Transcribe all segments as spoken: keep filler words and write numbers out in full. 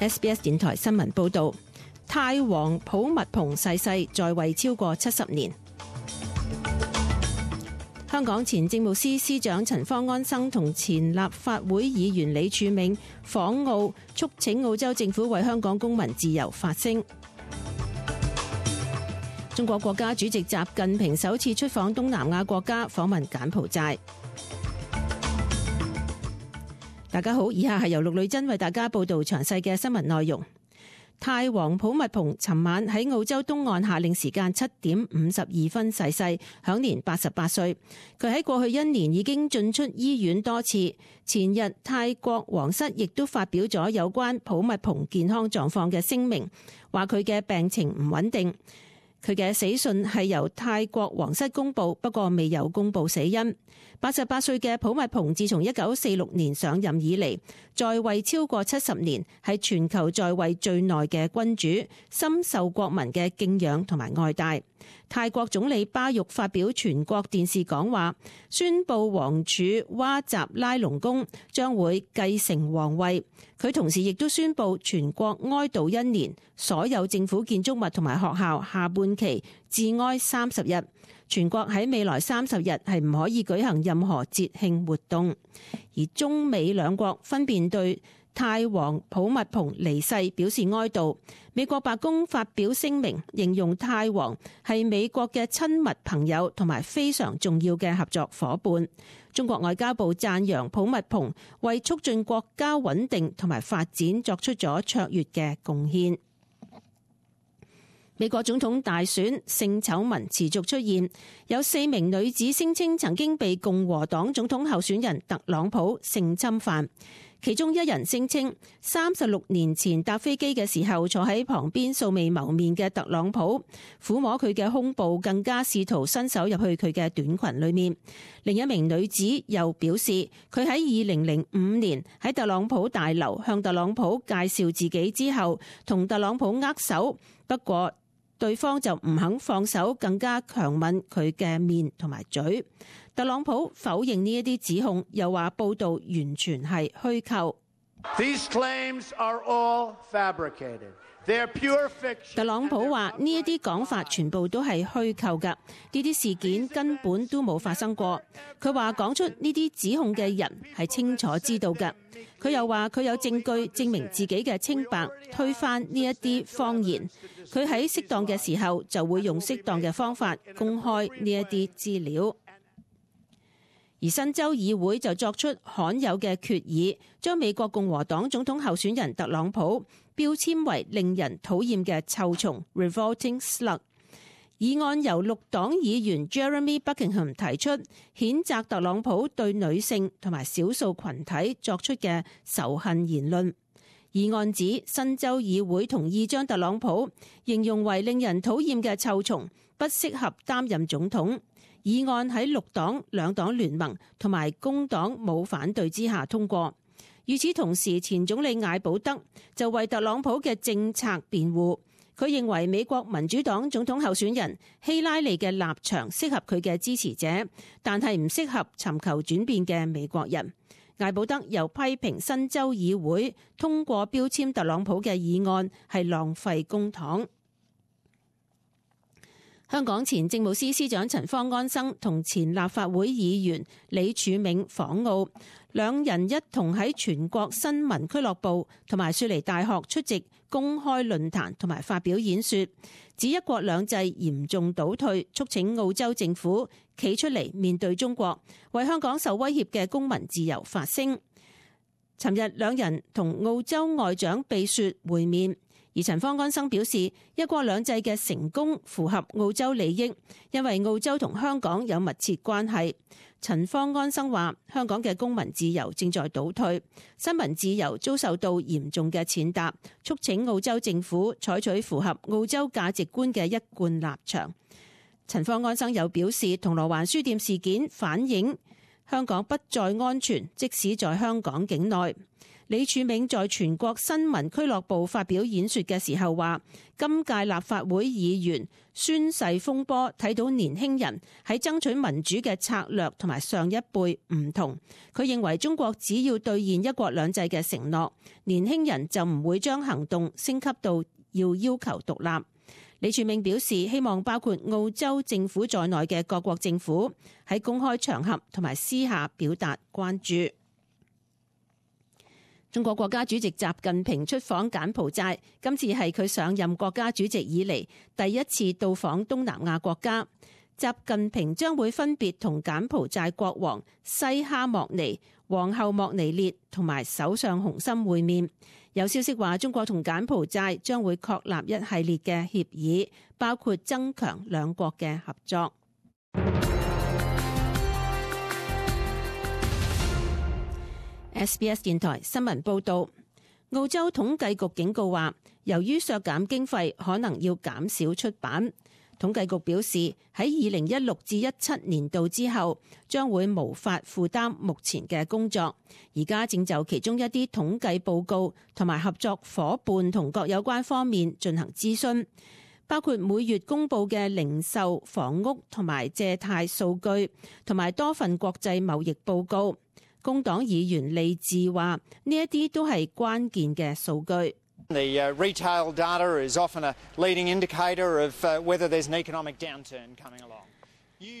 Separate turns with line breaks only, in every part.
S B S 電台新聞報道，泰王普密蓬逝世，在位超過七十年。香港前政務司司長陳方安生同前立法會議員李柱銘訪澳，促請澳洲政府為香港公民自由發聲。中國國家主席習近平首次出訪東南亞國家，訪問柬埔寨。大家好，以下係由陸女珍為大家報道詳細嘅新聞內容。泰王普密蓬尋晚喺澳洲東岸夏令時間七點五十二分逝世，享年八十八歲。佢喺過去一年已經進出醫院多次。前日泰國皇室亦都發表咗有關普密蓬健康狀況嘅聲明，話佢嘅病情唔穩定。佢嘅死訊係由泰國皇室公布，不過未有公布死因。八十八歲嘅普密蓬自從一九四六年上任以嚟，在位超過七十年，係全球在位最耐嘅君主，深受國民嘅敬仰同埋愛戴。泰國總理巴育發表全國電視講話，宣布王儲哇集拉隆功將會繼承皇位。佢同時亦都宣布全國哀悼一年，所有政府建築物同埋學校下半旗致哀三十日。全國喺未來三十日係唔可以舉行任何節慶活動。而中美兩國分別對泰王普密蓬離世表示哀悼。美國白宮發表聲明，形容泰王係美國嘅親密朋友同埋非常重要嘅合作夥伴。中國外交部讚揚普密蓬為促進國家穩定同埋發展作出咗卓越嘅貢獻。美國總統大選性醜聞持續出現，有四名女子聲稱曾經被共和黨總統候選人特朗普性侵犯。其中一人聲稱，三十六年前搭飛機嘅時候坐喺旁邊素未謀面嘅特朗普撫摸佢嘅胸部，更加試圖伸手入去佢嘅短裙裏面。另一名女子又表示，佢喺二零零五年喺特朗普大樓向特朗普介紹自己之後，同特朗普握手，不過對方就唔肯放手，更加強吻佢嘅面同埋嘴。特朗普否認呢一啲指控，又話報道完全係虛構。
These claims are all fabricated. They are pure fiction.
特朗普話呢一啲講法全部都係虛構㗎，呢啲事件根本都冇發生過。佢話講出呢啲指控嘅人係清楚知道㗎。佢又話佢有證據證明自己嘅清白，推翻呢一啲謊言。佢喺適當嘅時候就會用適當嘅方法公開呢一啲資料。而新州議會就作出罕有嘅決議，將美國共和黨總統候選人特朗普標籤為令人討厭嘅臭蟲 （revolting slug）。議案由綠黨議員 Jeremy Buckingham 提出，譴責特朗普對女性同埋少數群體作出嘅仇恨言論。議案指新州議會同意將特朗普形容為令人討厭嘅臭蟲，不適合擔任總統。議案喺綠黨兩黨聯盟同埋工黨冇反對之下通過。與此同時，前總理艾保德就為特朗普嘅政策辯護。佢認為美國民主黨總統候選人希拉里嘅立場適合佢嘅支持者，但係唔適合尋求轉變嘅美國人。艾保德又批評新州議會通過標籤特朗普嘅議案係浪費公帑。香港前政務司司長陳方安生同前立法會議員李柱銘訪澳，兩人一同喺全國新聞俱樂部同埋雪梨大學出席公開論壇同埋發表演說，指一國兩制嚴重倒退，促請澳洲政府企出嚟面對中國，為香港受威脅嘅公民自由發聲。尋日兩人同澳洲外長貝雪會面。而陳方安生表示，一國兩制嘅成功符合澳洲利益，因為澳洲同香港有密切關係。陳方安生話，香港嘅公民自由正在倒退，新聞自由遭受到嚴重嘅踐踏，促請澳洲政府採取符合澳洲價值觀嘅一貫立場。陳方安生又表示，銅鑼灣書店事件反映香港不再安全，即使在香港境內。李柱銘在全國新聞俱樂部發表演說嘅時候話，今屆立法會議員宣誓風波睇到年輕人喺爭取民主嘅策略同埋上一輩唔同。佢認為中國只要兌現一國兩制嘅承諾，年輕人就唔會將行動升級到要要求獨立。李柱銘表示，希望包括澳洲政府在內嘅各國政府喺公開場合同埋私下表達關注。中國國家主席習近平出訪柬埔寨，今次係佢上任國家主席以嚟第一次到訪東南亞國家。習近平將會分別同柬埔寨國王西哈莫尼、皇后莫尼列同埋首相洪森會面。有消息話，中國同柬埔寨將會確立一系列嘅協議，包括增強兩國嘅合作。S B S 電台新聞報導，澳洲統計局警告話，由於削減經費，可能要減少出版。統計局表示，喺二零一六至一七年度之後，將會無法負擔目前嘅工作。而家正就其中一啲統計報告同埋合作夥伴同各有關方面進行諮詢，包括每月公佈嘅零售、房屋同埋借貸數據，同埋多份國際貿易報告。工黨議員利智話：呢一啲都係關鍵嘅數據。
The retail data is often a leading indicator of whether there's an economic downturn coming along.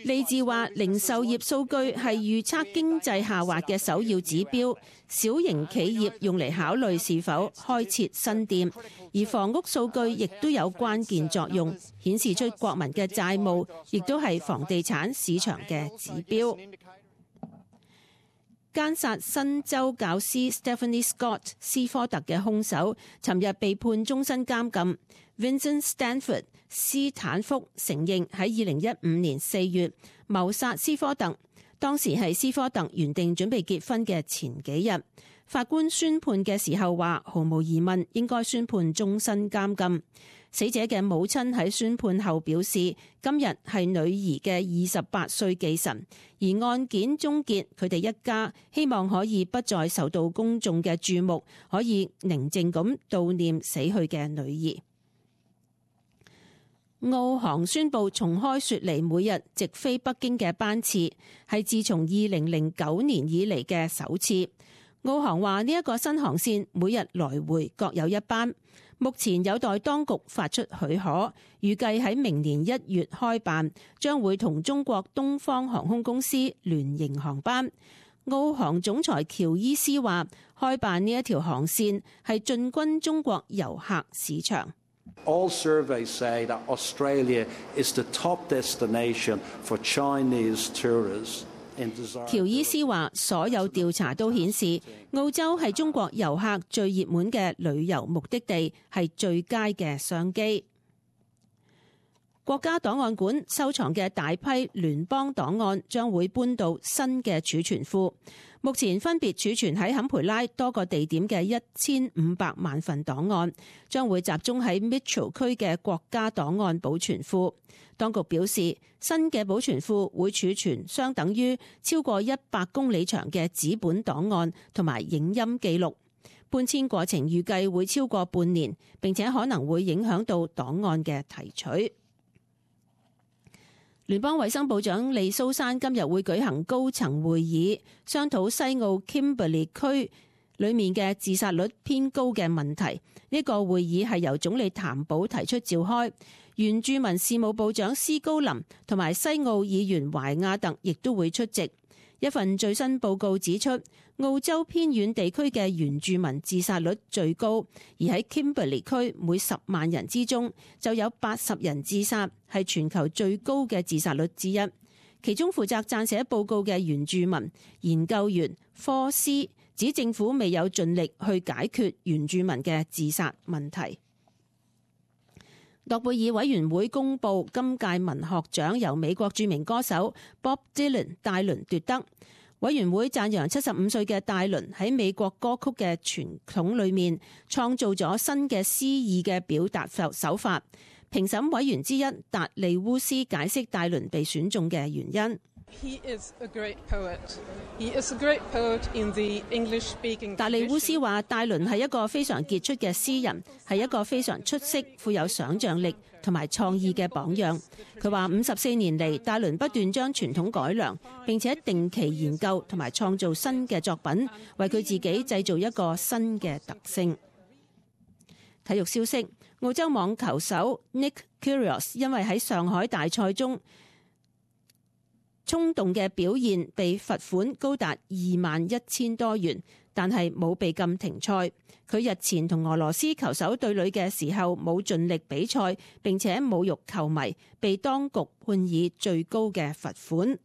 利智話：零售業數據係預測經濟下滑嘅首要指標，小型企業用嚟考慮是否開設新店，而房屋數據亦都有關鍵作用，顯示出國民嘅債務，亦都係房地產市場嘅指標。姦殺新州教師 Stephanie Scott 斯科特嘅兇手，尋日被判終身監禁。Vincent Stanford 斯坦福承認喺二零一五年四月謀殺斯科特，當時係斯科特原定準備結婚嘅前幾日。法官宣判嘅時候話，毫無疑問應該宣判終身監禁。死者嘅母親喺宣判後表示，今日係女兒嘅二十八歲忌辰，而案件終結，佢哋一家希望可以不再受到公眾嘅注目，可以寧靜咁悼念死去嘅女兒。澳航宣布重開雪梨每日直飛北京嘅班次，係自從二零零九年以嚟嘅首次。澳航話呢一個新航線每日來回各有一班。目前有待當局發出許可，預計喺明年一月開辦，將會同中國東方航空公司聯營航班。澳航總裁喬伊斯話：開辦呢一條航線係進軍中國遊客市場。
All surveys say that Australia is the top destination for Chinese tourists.
喬伊斯話：所有調查都顯示，澳洲係中國遊客最熱門嘅旅遊目的地，係最佳嘅商機。國家檔案館收藏嘅大批聯邦檔案將會搬到新嘅儲存庫，目前分別儲存喺坎培拉多個地點嘅一千五百萬份檔案，將會集中喺 Mitchell 區嘅國家檔案保存庫。當局表示，新嘅保存庫會儲存相等於超過一百公里長嘅紙本檔案同埋影音記錄。搬遷過程預計會超過半年，並且可能會影響到檔案嘅提取。聯邦衛生部長利蘇珊今日會舉行高層會議，商討西澳 Kimberley 區裏面嘅自殺率偏高嘅問題。呢個會議係由總理譚寶提出召開，原住民事務部長斯高林同埋西澳議員懷亞特亦都會出席。一份最新報告指出，澳洲偏遠地區嘅原住民自殺率最高，而喺 Kimberley 區每十萬人之中就有八十人自殺，係全球最高嘅自殺率之一。其中負責撰寫報告嘅原住民研究員科斯指，政府未有盡力去解決原住民嘅自殺問題。諾貝爾委員會公布今屆文學獎由美國著名歌手 Bob Dylan 戴倫奪得。委員會讚揚七十五歲嘅戴倫喺美國歌曲嘅傳統裏面創造咗新嘅詩意嘅表達手法。評審委員之一達利烏斯解釋戴倫被選中嘅原因。
He is a great poet. He is a great poet in the English-speaking tradition.
達利烏斯話：戴倫係一個非常傑出嘅詩人，係一個非常出色、富有想像力同埋創意嘅榜樣。佢話：五十四年嚟，戴倫不斷將傳統改良，並且定期研究同埋創造新嘅作品，為佢自己製造一個新嘅特性。體育消息：澳洲網球手 Nick Kyrgios 因為喺上海大賽中衝動嘅表現被罰款高達二萬一千多元，但係冇被禁停賽。佢日前同俄羅斯球手對壘嘅時候冇盡力比賽，並且侮辱球迷，被當局判以最高嘅罰款。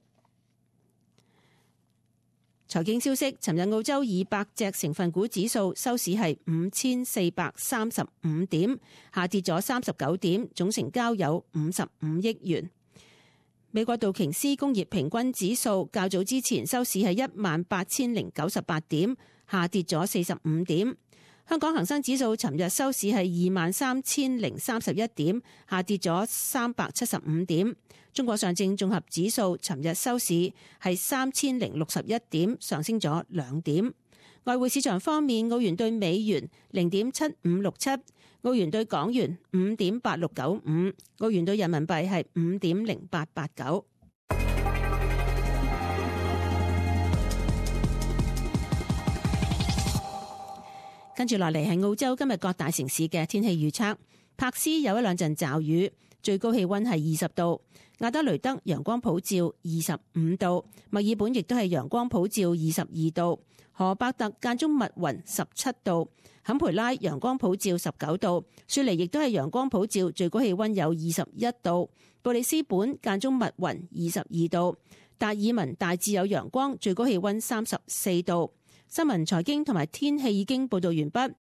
財經消息：尋日澳洲二百隻成分股指數收市係五千四百三十五點，下跌咗三十九點，總成交有五十五億元。美國道瓊斯工業平均指數較早之前收市係一萬八千零九十八點，下跌咗四十五點。香港恒生指數尋日收市係二萬三千零三十一點，下跌咗三百七十五點。中國上證綜合指數尋日收市係三千零六十一點，上升咗兩點。外匯市場方面，澳元對美元零點七五六七，澳元對港元五點八六九五，澳元對人民幣係五點零八八九。跟住落嚟係澳洲今日各大城市嘅天氣預測。柏斯有一兩陣驟雨，最高氣溫係二十度；亞德雷德陽光普照二十五度；墨爾本亦都係陽光普照二十二度；荷伯特間中密雲十七度；坎培拉陽光普照十九度；雪梨亦都係陽光普照，最高氣溫有二十一度；布里斯本間中密雲二十二度；達爾文大致有陽光，最高氣溫三十四度。新聞財經同埋天氣已經報道完畢。